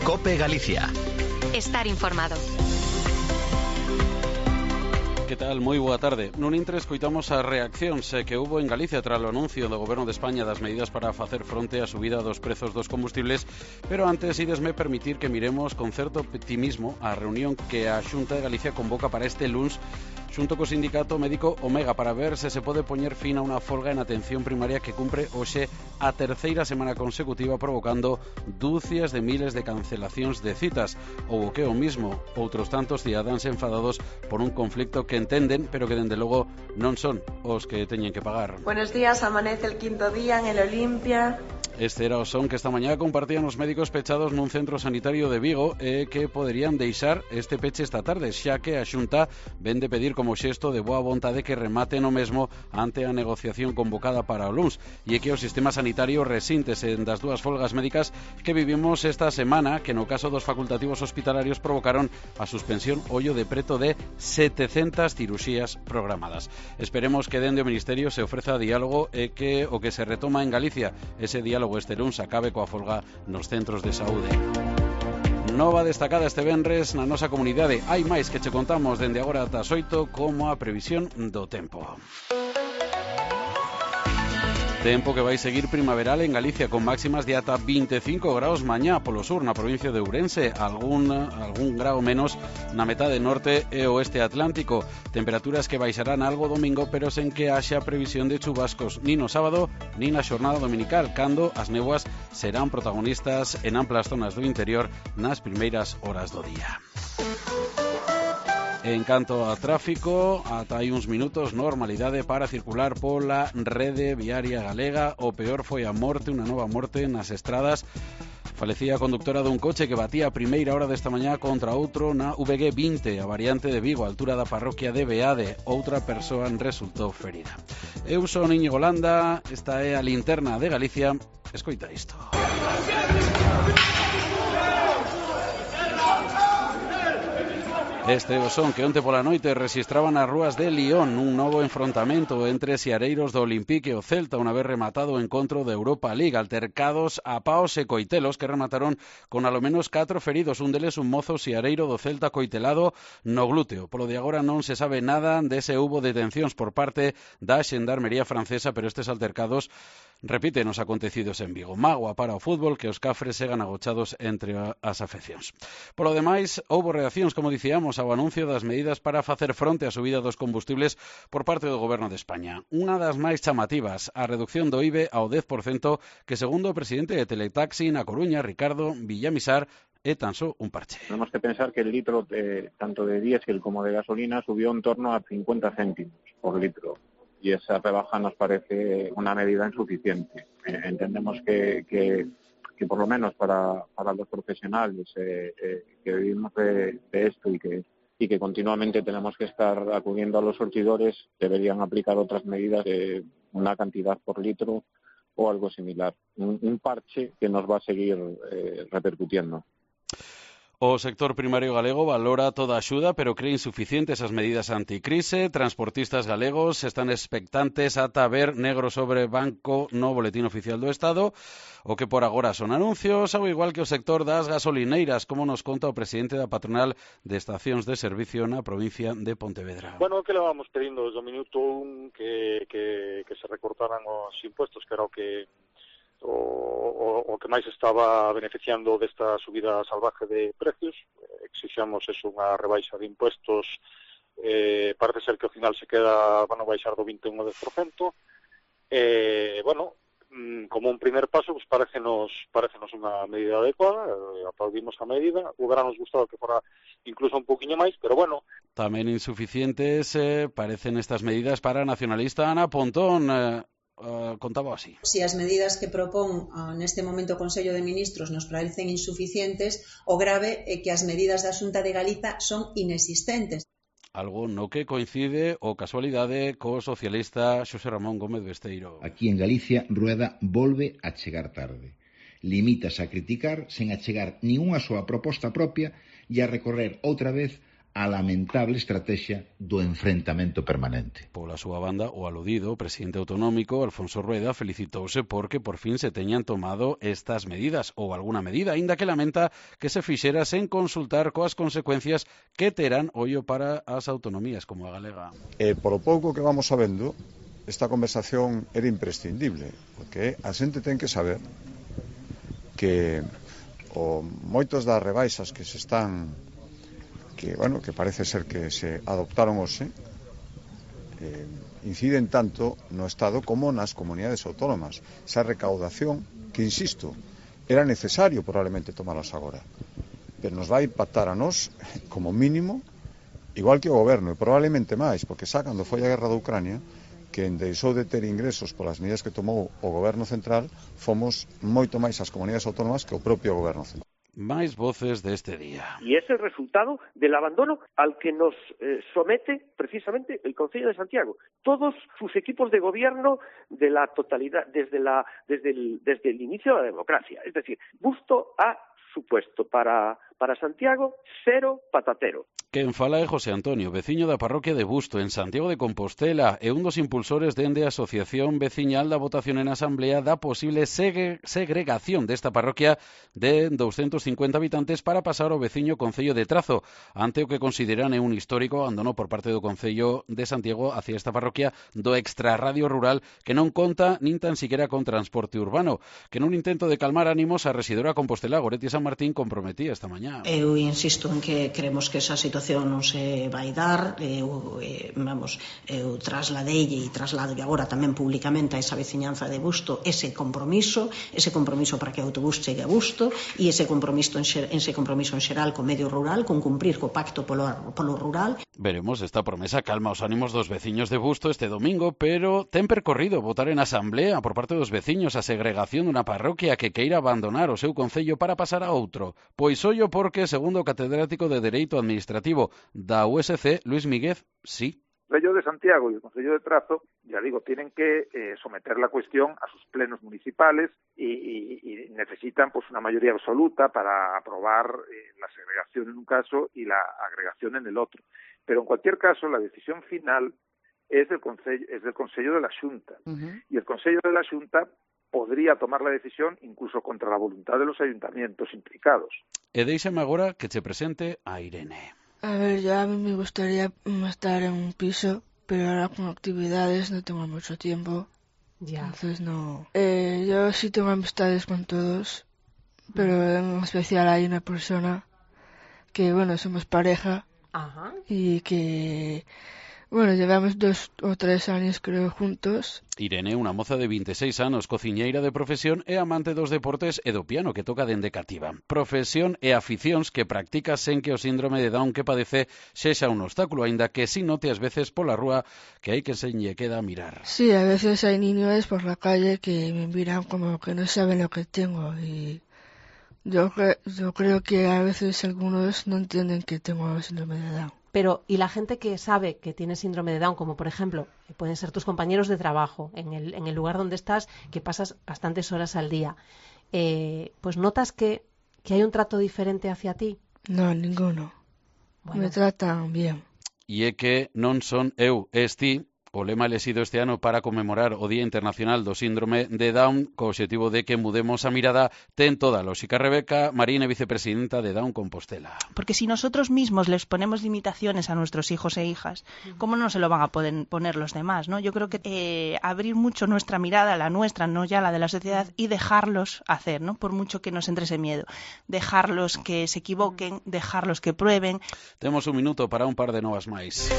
COPE Galicia. Estar informado. Que tal? Moi boa tarde. Nun intre escoitamos as reaccións que houbo en Galicia tras o anuncio do Goberno de España das medidas para facer fronte á subida dos prezos dos combustibles, pero antes idesme permitir que miremos con certo optimismo a reunión que a Xunta de Galicia convoca para este luns xunto co sindicato médico Omega para ver se se pode poñer fin a unha folga en atención primaria que cumpre hoxe a terceira semana consecutiva provocando dúcias de miles de cancelacións de citas ou o que o mismo, outros tantos cidadáns enfadados por un conflicto que entenden, pero que dende logo non son os que teñen que pagar. Buenos días, amanece el quinto día en el Olimpia. Este era o son que esta mañá compartían os médicos pechados nun centro sanitario de Vigo e que poderían deixar este peche esta tarde, xa que a Xunta vén de pedir como xesto de boa vontade que remate no mesmo ante a negociación convocada para o luns e que o sistema sanitario resíntese das dúas folgas médicas que vivimos esta semana, que no caso dos facultativos hospitalarios provocaron a suspensión ollo de preto de 700 ciruxías programadas. Esperemos que dende o Ministerio se ofreza diálogo e que o que se retoma en Galicia, ese diálogo este luns acabe coa folga nos centros de saúde. Nova destacada este venres na nosa comunidade. Hai máis que che contamos dende agora ata as 8 como a previsión do tempo. Tempo que vai seguir primaveral en Galicia con máximas de ata 25 graus mañá polo sur na provincia de Ourense, algún grao menos na metade norte e oeste atlántico. Temperaturas que baixarán algo domingo, pero sen que haxa previsión de chubascos nin no sábado nin na xornada dominical, cando as néboas serán protagonistas en amplas zonas do interior nas primeiras horas do día. En canto a tráfico, ata hai uns minutos normalidade para circular pola rede viaria galega. O peor foi a morte, unha nova morte nas estradas. Falecía a conductora dun coche que batía a primeira hora desta mañá contra outro na VG 20, a variante de Vigo, a altura da parroquia de Beade. Outra persoa resultou ferida. Eu son Íñigo Landa, esta é a linterna de Galicia. Escoita isto. Este é o son que onte pola noite rexistraban as rúas de Lyon un novo enfrontamento entre siareiros do Olympique e o Celta unha vez rematado o encontro de Europa League, altercados a paos e coitelos que remataron con alo menos 4 feridos, un deles un mozo siareiro do Celta coitelado no glúteo. Polo de agora non se sabe nada dese houbo detencións por parte da Xendarmería francesa, pero estes altercados repiten os acontecidos en Vigo. Mágoa para o fútbol que os cafres segan agochados entre as afeccións. Polo demais, houbo reaccións, como dicíamos, ao anuncio das medidas para facer fronte á subida dos combustibles por parte do Goberno de España. Unha das máis chamativas, a reducción do IVE ao 10%, que segundo o presidente de Teletaxi na Coruña, Ricardo Villamisar, é tan só un parche. Tenemos que pensar que el litro tanto de diésel como de gasolina subió en torno a 50 céntimos por litro. Y esa rebaja nos parece una medida insuficiente. Entendemos que por lo menos para los profesionales que vivimos de esto y que continuamente tenemos que estar acudiendo a los surtidores, deberían aplicar otras medidas de una cantidad por litro o algo similar. Un parche que nos va a seguir repercutiendo. O sector primario galego valora toda a axuda, pero cree insuficientes as medidas anticrise. Transportistas galegos están expectantes ata ver negro sobre branco no Boletín Oficial do Estado, o que por agora son anuncios, ao igual que o sector das gasolineiras, como nos conta o presidente da patronal de estacións de servicio na provincia de Pontevedra. Bueno, que levamos pedindo desde o minuto 1 que se recortaran os impuestos, que era o que máis estaba beneficiando desta subida salvaje de precios. Exixamos eso, unha rebaixa de impuestos. Parece ser que ao final van a baixar do 21 ao 10%. Como un primer paso, pues parecenos unha medida adecuada. Aplaudimos a medida. Hubiéramos gustado que fora incluso un poquinho máis, pero bueno. Tamén insuficientes parecen estas medidas para a nacionalista Ana Pontón. Contaba así. Si as medidas que propón neste momento o Consello de Ministros nos parecen insuficientes, o grave é que as medidas da Xunta de Galiza son inexistentes. Algo no que coincide o casualidade co socialista Xosé Ramón Gómez Besteiro. Aquí en Galicia, Rueda volve a chegar tarde. Limítase a criticar sen achegar nin unha súa proposta propia e a recorrer outra vez a lamentable estrategia do enfrentamento permanente. Pola súa banda, o aludido presidente autonómico, Alfonso Rueda, felicitouse porque por fin se teñan tomado estas medidas, ou alguna medida, aínda que lamenta que se fixera sen consultar coas consecuencias que terán ollo para as autonomías como a galega. Polo pouco que vamos sabendo, esta conversación era imprescindible, porque a xente ten que saber que moitos das rebaixas que se están que parece ser que se adoptaron hoxe inciden tanto no Estado como nas comunidades autónomas. Esa recaudación que, insisto, era necesario probablemente tomarlas agora, pero nos vai impactar a nós como mínimo igual que o goberno, e probablemente máis, porque xa cando foi a guerra da Ucrania, que deixou de ter ingresos polas medidas que tomou o goberno central, fomos moito máis as comunidades autónomas que o propio goberno central. Máis voces deste día. Y es el resultado del abandono al que nos somete precisamente el Concello de Santiago. Todos sus equipos de gobierno de la totalidad, desde el inicio de la democracia. Es decir, Busto ha supuesto para Santiago cero patatero. Quen fala é José Antonio, veciño da parroquia de Busto, en Santiago de Compostela, e un dos impulsores dende a Asociación Veciñal da votación en Asamblea da posible segregación desta parroquia de 250 habitantes para pasar ao veciño Concello de Trazo, ante o que consideran un histórico abandono por parte do Concello de Santiago hacia esta parroquia do extrarradio rural que non conta nin tan siquiera con transporte urbano, que nun intento de calmar ánimos a residora Compostela Goretti San Martín comprometía esta mañá. Eu insisto en que creemos que esa situación non se vai dar. Eu trasladei e traslado agora tamén públicamente a esa veciñanza de Busto ese compromiso para que o autobús chegue a Busto e ese compromiso en xeral co medio rural, con cumprir co pacto polo rural. Veremos, esta promesa calma os ánimos dos veciños de Busto este domingo, pero ten percorrido votar en asamblea por parte dos veciños a segregación dunha parroquia que queira abandonar o seu concello para pasar a outro. Pois ollo porque, segundo o catedrático de Dereito Administrativo da USC, Luis Míguez, sí. El Concello de Santiago y el Concello de Trazo, ya digo, tienen que someter la cuestión a sus plenos municipales y necesitan pues una mayoría absoluta para aprobar la segregación en un caso y la agregación en el otro. Pero en cualquier caso, la decisión final es del Concello de la Xunta. Y el Concello de la Xunta podría tomar la decisión incluso contra la voluntad de los ayuntamientos implicados. E déixame agora que che presente a Irene. A ver, ya a mí me gustaría estar en un piso, pero ahora con actividades no tengo mucho tiempo. Ya. Entonces no. Yo sí tengo amistades con todos, pero en especial hay una persona que, somos pareja. Ajá. Y que, llevamos 2 o 3 años creo juntos. Irene, unha moza de 26 anos, cociñeira de profesión e amante dos deportes e do piano que toca dende cativa. Profesión e aficións que practica sen que o síndrome de Down que padece sexa un obstáculo, aínda que si note ás veces pola rúa que hai que se lle queda a mirar. Sí, a veces hay niños por la calle que me miran como que no saben lo que tengo y yo creo que a veces algunos no entienden que tengo síndrome de Down. Pero, ¿y la gente que sabe que tiene síndrome de Down, como por ejemplo, pueden ser tus compañeros de trabajo, en el lugar donde estás, que pasas bastantes horas al día, pues notas que hay un trato diferente hacia ti? No, ninguno. Bueno. Me tratan bien. E é que non son eu, es ti. O lema elexido este ano para conmemorar o Día Internacional do Síndrome de Down, co obxectivo de que mudemos a mirada, ten toda a lógica. Rebeca Marín, vicepresidenta de Down Compostela. Porque si nosotros mismos les ponemos limitaciones a nuestros hijos e hijas, ¿cómo no se lo van a poder poner los demás? ¿No? Yo creo que abrir mucho nuestra mirada, la nuestra, no ya la de la sociedad, y dejarlos hacer, ¿no? Por mucho que nos entre ese miedo. Dejarlos que se equivoquen, dejarlos que prueben. Temos un minuto para un par de novas máis.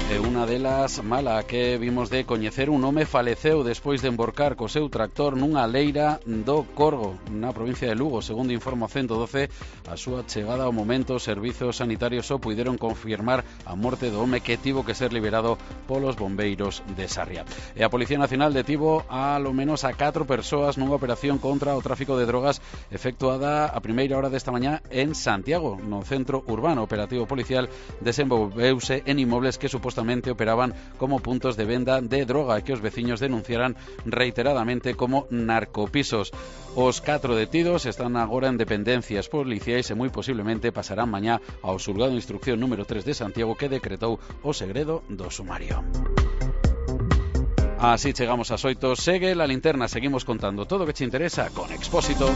E unha delas mala que vimos de coñecer, un home faleceu despois de emborcar co seu tractor nunha leira do Corgo, na provincia de Lugo. Segundo informa 112, a súa chegada ao momento, os servizos sanitarios só puideron confirmar a morte do home que tivo que ser liberado polos bombeiros de Sarria. E a Policía Nacional detivo a lo menos a 4 persoas nunha operación contra o tráfico de drogas efectuada a primeira hora desta mañá en Santiago, no centro urbano. Operativo policial desenvolveuse en inmobles que supuestamente supostamente operaban como puntos de venda de droga que os veciños denunciaran reiteradamente como narcopisos. Os 4 detidos están agora en dependencias policiais e moi posiblemente pasarán mañá ao xulgado de instrucción número 3 de Santiago, que decretou o segredo do sumario. Así chegamos ás 8. Segue La Linterna, seguimos contando todo o que che interesa con Expósito.